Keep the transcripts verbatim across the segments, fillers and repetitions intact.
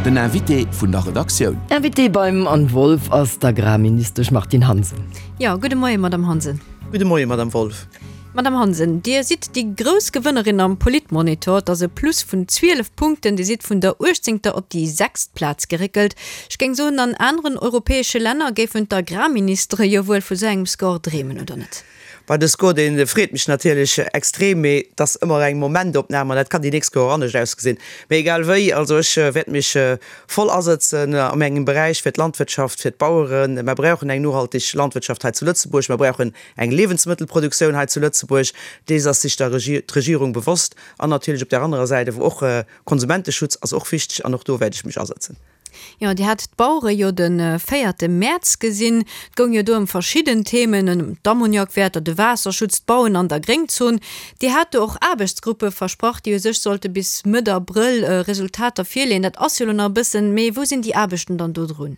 Den Invité vun der Redaktioun. Invité beim Anne Wolff ass d'Agrarministesch Martine Hansen. Jo, gudde Moien, Madamm Hansen. Gudde Moien, Madamm Wolff. Madamm Hansen, Dir sidd déi grouss Gewënnerin am Politmonitor. Et ass e Plus vun zwielef Punkten. Dir sidd vun der uechtzéngter op déi sechst Plaz geréckelt. Ech géing soen, an aneren europäesche Länner géifen d'Agrarministere jo wuel vu sou engem Score dreemen, oder net? Bah, de Score, dee freet mech natierlech extrem, mee et ass ëmmer eng Momentopnam an dat kann déi nächst Kéier och anescht ausgesinn. Mee egal wéi, also ech wäert mech voll asëtzen a mengem Beräich fir d'Landwirtschaft, fir d'Baueren. Mer brauchen eng nohalteg Landwirtschaft hei zu Lëtzebuerg, mer brauchen eng Liewensmëttelproduktioun hei zu Lëtzebuerg, dees ass sech der d'Regierung bewosst. An natierlech op där anerer Säit awer och Konsumenteschutz ass och wichteg an och do wäert ech mech asëtzen. Jo, Dir hat d'Bauere jo de véierte Mäerz gesinn. Et goung jo do ëm verschidden Themen, ëm d'Ammoniakwäerter, de Waasserschutz, d'Bauen an der Gréngzon. Dir hat do och Aarbechtsgruppe versprach, déi u sech sollte bis Mëtt Abrëll Resultater virleeën. Dat ass jo elo nach e bëssen, mee wou sinn déi Aarbechten dann do drun?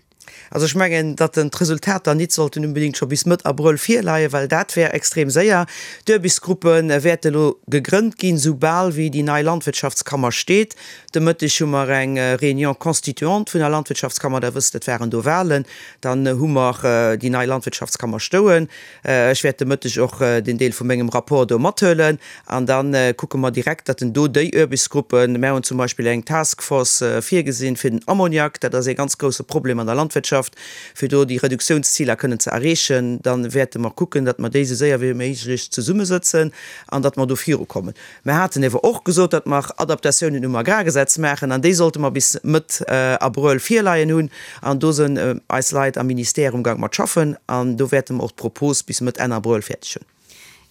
Also ech mengen, datt den d'Resultater nit sollten unbedéngt scho bis Mëtt Abrëll virleien, well dat wär extrem séier. D'Uerbichtsgruppe wäerte elo gegrënnt ginn, soubal wéi déi nei Landwirtschaftskammer steet. De Mëtteg hu mer eng Réunion constituante vun der Landwirtschaftskammer, Der wësst, et waren do Wahlen. Dann hu mer déi nei Landwirtschaftskammer stoen. Ech wäert de Mëtteg och den Deel vu mengem Rapport do mathuelen an da kucke mer direkt, datt en do déi Uerbichtsgruppen, mer hunn zum Beispill eng Task Force virgesinn fir den Ammoniak, dat ass ee ganz grouse Problem an der Landwirtschaft, fir do déi Reduktiounsziler kënnen ze erreechen, da wäerte mer kucken, datt mer déi esou séier wéi méiglech zesummesëtzen an datt mer do virukommen. Mer haten ewer och gesot, datt mer Adaptatiounen um Agrargesetz maachen an déi sollte mer bis Mëtt Abrëll virleien hunn an do sënn eis Leit am Ministère umgang mat schaffen an do wäerte mer och d'Propos bis Mëtt, Enn Abrëll fäerdeg hunn.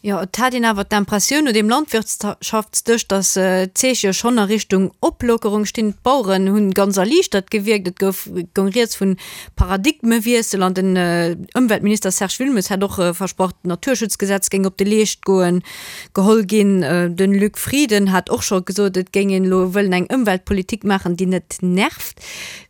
Jo, et hat een awer d'Impressioun no deem Landwirtschaftsdësch, datt d'Zeeche schonn a Richtung Oplockerung stinn. D'Baueren hunn ganz erliichtert gewierkt. Et gouf, goung rieds vun Paradigmewiessel an den Ëmweltminister Serge Wilmes hat och versprach, d'Naturschutzgesetz géing op de Leescht goen, geholl ginn. De Luc Frieden hat och scho gesot, et géing een elo wëllen eng Ëmweltpolitik maachen, déi net nervt.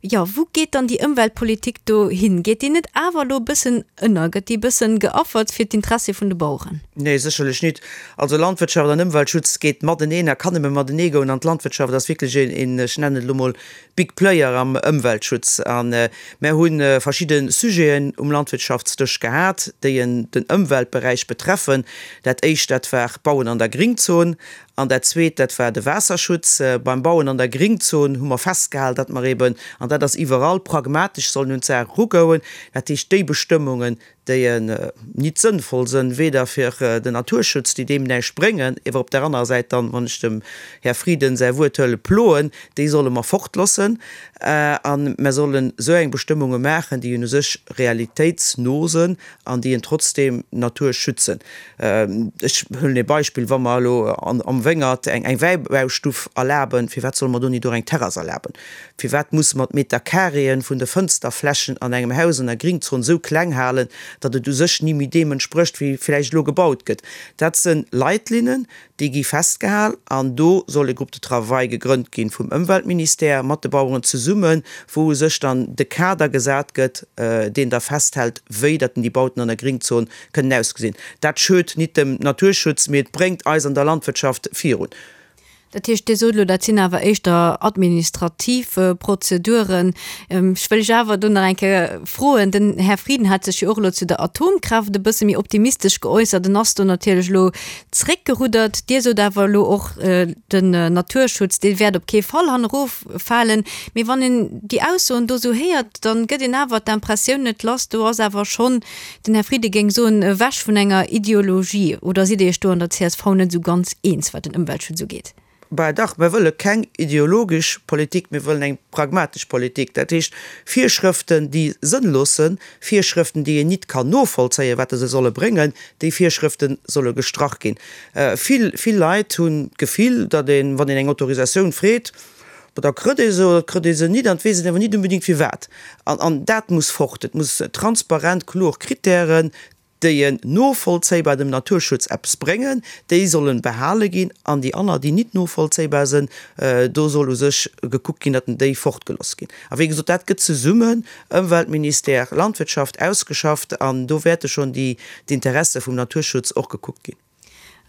Jo, wou geet dann déi Ëmweltpolitik do hin? Geet déi net awer elo e bëssen ënner? Gëtt déi e bëssen geaffert fir d'Interessie vun de Baueren? Nee, sécherlech nit. Also Landwirtschaft an Ëmweltschutz geet mateneen a kann nëmme matenee goen. An d'Landwirtschaft ass wierklech een, een, ech nennen et elo mol, Big Player am Ëmweltschutz. A mär hu verschidde Sujeten um Landwirtschaftsdësch gehat, déi den Ëmweltberäich betreffen. Dat éischt, dat war d'Bauen an der Gringzon. An dat zweet, dat war de Waasserschutz. Beim Bauen an der Gringzon hu mer festgehal, datt mer eben, an dat ass iwwerall, pragmatesch sollen un d'Saach erugoen. Dat heescht, déi Bestëmmungen, déi nit sënnvoll sënn, weder fir den Naturschutz, déi deem näischt bréngen, ewer op där anerer Säit dann, wann ech dem Här Frieden säi Wuert huelen, ploen, déi solle mer fortloossen. A mer sollen esou eng Bestëmmunge maachen, déi un u sech realitéitsno sënn an déi en trotzdem d'Natur schützen. Ech huelen ee Beispill, Wa mer elo am Wéngert eng Wäibaustuff erlaben, firwat solle mer do nit och eng Terrass erlaben? Firwat musse mer d'Metercarréen vun de Fënsterflächen an engem Haus an der Gringzon esou kleng halen, datt et u sech ni méi deem entsprécht, wéi vläicht elo gebaut gëtt? Dat se Leitlinnen, déi gi festgehal an do soll e Groupe de travail gegrënnt ginn vum Ëmweltministère mat de Baueren zesummen, wou u sech dann de Kader gesat gëtt, deen da festhält, wéi datt déi Bauten an der Gringzon kënnen ausgesinn. Dat schued nit dem Naturschutz, mee et bréngt eis an der Landwirtschaft virun. Dat heescht, Dir sot elo, dat sinn awer éischter administrativ Prozeduren. Ech wëll lech awer do nach eng Kéier froen, den Här Frieden hat sech jo och elo zu der Atomkraaft e bësse méi optimistesch geäussert. En ass do natierlech elo zréckgeruddert. Dir sot awer elo och, den Naturschutz, dee wäert op kee Fall hanneroffalen. Mee wann een déi Aussoen do esou héiert, da gëtt een awer d'Impressioun net lass, do ass awer schonn, den Här Frieden géing soen, ewech vun enger Ideologie. Oder sidd Dir Iech do an der C S V net esou ganz eens, wat den Ëmweltschutz ugeet? Bah dach, mir wëlle keng ideologesch Politik, mir wëllen eng pragmatesch Politik. Dat heescht, Virschrëften, déi sënnlos sënn, Virschrëften, déi een nit kann novollzéien, wat se solle bréngen, déi Virschrëfte solle gestrach ginn. Vill, vill Leit hunn d'Gefill, datt een, wann een eng Autorisatioun freet, bah da krëtt ee se oder et krëtt ee se nit an et weess een awer nit unbedéngt firwat. An, an dat muss fort. Et muss transparent, kloer Kritären, déi en novollzéibar dem Naturschutz eppes bréngen, déi sollen behale ginn, an déi anner, déi nit novollzéibar sënn, do soll u sech gekuckt ginn, datt déi fortgeloss ginn. A wéi gesot, dat gëtt zesummen, Ëmweltministère, Landwirtschaft, ausgeschafft, an do wäerte schonn déi d'Interesse vum Naturschutz och gekuckt ginn.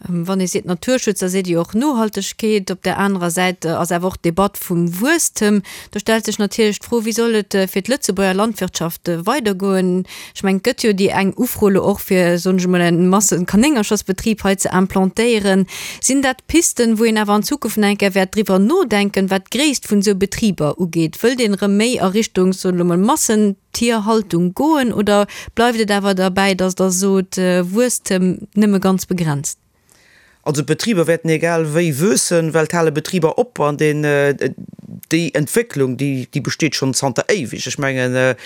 Wann ee seet Naturschutz, da seet ee jo och Nohaltegkeet. Op där anerer Säit ass awer och d'Debatt vum Wuesstem. Do stellt sech natierlech d'Fro, Wéi soll et fir d'Lëtzebuerger Landwirtschaft weidergoen? Ech mengen, et gëtt jo déi eng Ufro elo och, fir, soen ech emol, en Massekanéngerchersbetrib hei ze implantéieren. Sinn dat Pisten, wou een awer an Zukunft nach eng Kéier wäert driwwer nodenken, wat d'Gréisst vun esou Betriber ugeet? Wëllt een erëm méi a Richtung, soen ech elo emol, Massentierhaltung goen oder bleift et awer derbäi, datt Der sot, Wuesstem nëmme ganz begrenzt? Also d'Betriber wäerten egal wéi wuessen, well et hale Betriber op an deen, déi Entwécklung, déi, déi besteet schonn zanter éiweg. Ech mengen,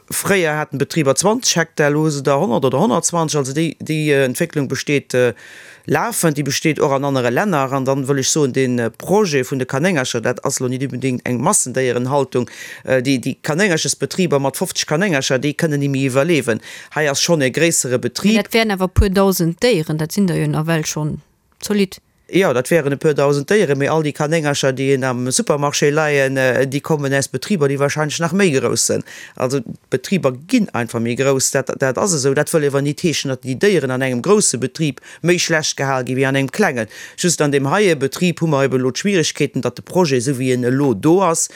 fréier haten d'Betriber zwanzeg Hektar, elo hu se der honnert oder honnertzwanzeg. Also déi, déi Entwécklung besteet lafend, déi besteet och an anere Länner. An dann wëll ech soen, dee Projet vun de Kanéngercher, dat ass elo nit unbedéngt eng Massendéierenhaltung. Déi, déi Kanéngerchesbetriber mat fofzeg Kanéngercher, déi kënnen ni méi iwwerleewen. Hei ass schonn e gréissere Betrib. Mä dat wären awer e puer dausend Déieren, dat sinn der jo nawell schonn. Zolidd. Jo, dat wären e puer dausend Déieren, mee all déi Kanéngercher, déi een am Supermarché leien, déi kommen aus Betriber, déi wahrscheinlech nach méi grouss sënn. Also d'Betriber ginn einfach méi grouss, dat, dat ass esou. Dat wëll ewer nit heeschen, datt déi Déieren an engem grousse Betrib méi schlecht gehal gi wéi an engem klengen. Just an deem heie Betrib hu mer eben elo d'Schwieregkeeten, datt de Projet, esou wéi en elo do ass,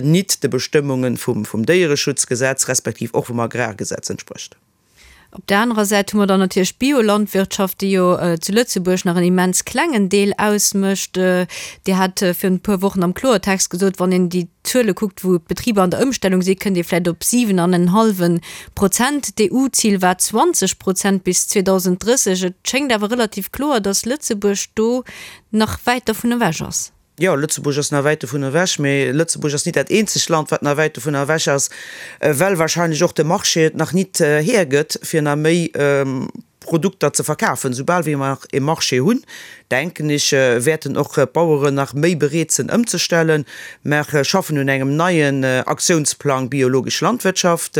nit de Bestëmmunge vum, vum Déiereschutzgesetz respektiv och vum Agrargesetz entsprécht. Op där anerer Säit hu mer dann natierlech d'Biolandwirtschaft, déi jo zu Lëtzebuerg nach en immens klengen Deel ausmécht. Dir hat virun e puer Wochen am Kloertext gesot, wann een déi Zuele kuckt, wou d'Betriber an der Ëmstellung sinn, kënnt ee vläicht op siwen an en hallwe Prozent. D'EU-Zil war zwanzeg Prozent bis zweedausend drësseg. Et schéngt awer relativ kloer, datt Lëtzebuerg do nach wäit dovun ewech ass. Jo, Lëtzebuerg ass nach wäit dovun ewech, mee Lëtzebuerg ass nit dat eenzegt Land, wat nach wäit dovun ewech ass, well wahrscheinlech och de Marché et nach nit hiergëtt, fir nach méi Produkter ze verkafen. Soubal wéi mer e Marché hunn, denken ech, wäerten och d'Baueren nach méi bereet sinn ëmzestellen. Mer schaffen un engem neien Aktiounsplang biologesch Landwirtschaft.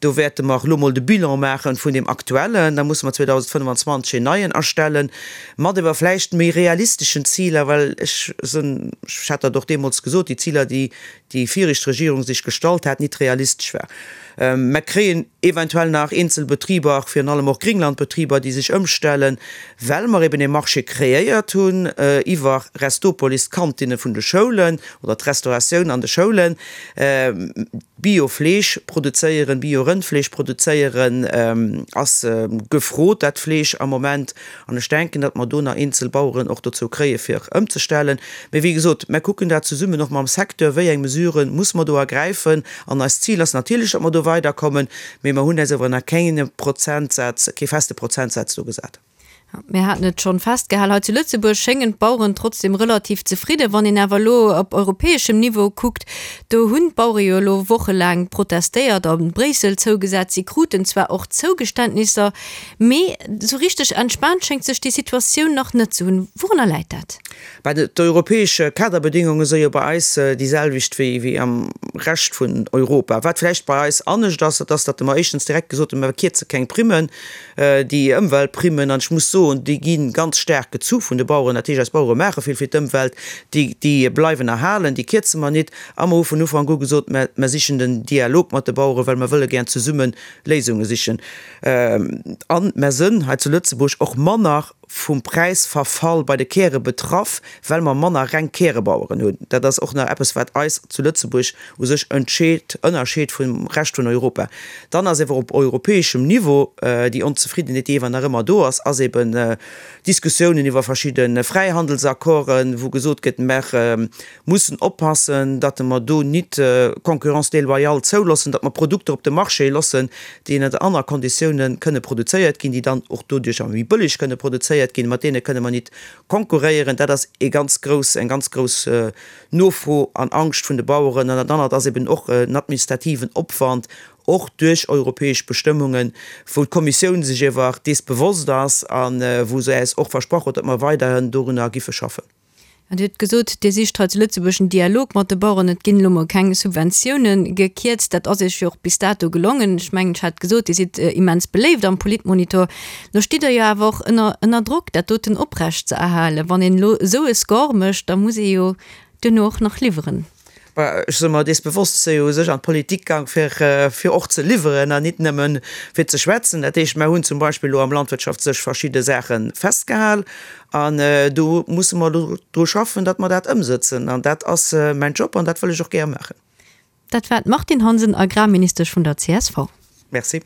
Do wäerte mer elo mol de Bilan maache vun deem aktuellen. Da musse mer zweedausendfënnfanzwanzeg een neien erstellen, mat ewer vläicht méi realisteschen Ziler, well ech sinn, ech hat dat och deemools gesot, déi Ziler, déi déi viregt Regierung sech gestallt hat, nit realistesch war. Mer kréien eventuell nach eenzel Betriber, virun allem och Gringlandbetriber, déi sech ëmstellen, well mer eben ee Marché kreéiert hunn iwwer Restopolis, d'Kantinne vun de Schoulen oder d'Restauratioun an de Schoulen. Bio-Fleesch produzéieren, Bio-Rëndfleesch produzéieren, ass gefrot, dat Fleesch am Moment. An ech denken, datt mer do nach eenzel Baueren och dozou kréie fir ëmzestellen. Mee wéi gesot, mer kucken dat zesummen och mam Secteur, wéi eng Mesurë muss mer do ergräifen. An eist Zil ass natierlech, datt mer do weiderkommen, mee mer hunn eis awer nach keen Prozentsaz, kee feste Prozentsaz do gesat. Mir haten et schonn festgehal, hei zu Lëtzebuerg schéngen d'Baueren trotzdem relativ zefridden. Wann een awer elo op europäeschem Niveau kuckt, do hunn d'Bauere jo elo wochelaang protestéiert a Bréissel zougesat. Si kruten zwar och Zougeständnisser, mee esou richteg entspaant schéngt sech déi Situatioun nach net ze hunn. Wourunner läit dat? Bah, d'europäesch Kaderbedingunge si jo bei eis déi selwecht wéi wéi am Rescht vun Europa. Wat vläicht bei eis anescht ass, dat ass, datt mer éischtens direkt gesot hunn, mer kierze keng Primmen, déi Ëmweltprimmen, an ech muss soen, déi gi ganz staark gezu vun de Baueren, dat heescht, eis Bauere maache vill fir d'Ëmwelt, déi, déi bleiwen erhalen, déi kierze mer nit. A mer hu vun Ufank u gesot, mer, mer sichen den Dialog mat de Baueren, well mer wëlle gär zesumme Léisunge sichen. A mer sënn hei zu Lëtzebuerg och manner vum Präisverfall bei de Käre betraff, well mer manner reng Kärebaueren hunn. Dat ass och nach eppes, wat eis zu Lëtzebuerg u sech entscheet, ënnerscheet vum Rescht vun Europa. Dann ass ewer op europäeschem Niveau déi Onzefriddenheet, déi ewer nach ëmmer do ass, ass eben Diskussiounen iwwer verschidde Fräihandelsaccorden, wou gesot gëtt, mer mussen oppassen, datt mer do nit Concurrence déloyale zouloossen, datt mer Produkter op de Marché loossen, déi ënnert aner Konditiounen kënne produzéiert ginn, déi dann och doduercher méi bëlleg kënne produzéiert ginn, mat deene kënne mer nit konkurréieren. Dat ass ee ganz grouss, eng ganz grouss Nofro an Angscht vun de Baueren. An dat anert ass eben och en administrativen Opwand, och duerch europäesch Bestëmmungen, wou d'Kommissioun sech iewer dees bewosst ass a wou se äis och versprach huet, datt mer weiderhin dorunner giffe schaffen. An Dir hutt gesot, Dir sicht hei zu Lëtzebuerg en Dialog mat de Baueren. Et ginn elo mol keng Subventiounen gekierzt. Dat ass Iech jo och bis dato gelongen. Ech mengen, ech hat gesot, Dir sidd immens beléift am Politmonitor. Lo stitt Der jo awer och ënner ënner Drock, dat doten oprecht ze erhalen. Wann een elo esou e Score mécht, da muss ee jo duerno och nach liwweren. Ech soe mer, dees bewosst si jo u sech an d'Politik gaang, fir, fir och ze liwweren an nit nëmmen fir ze schwätzen. Dat heescht, mer hunn zum Beispill elo am Landwirtschaft sech verschidde Saache festgehal an do musse mer elo dru schaffen, datt mer dat ëmsëtzen. An dat ass mäin Job an dat wëll ech och gär maachen. Dat war d'Martine Hansen, Agrarministesch vun der csv. Merci.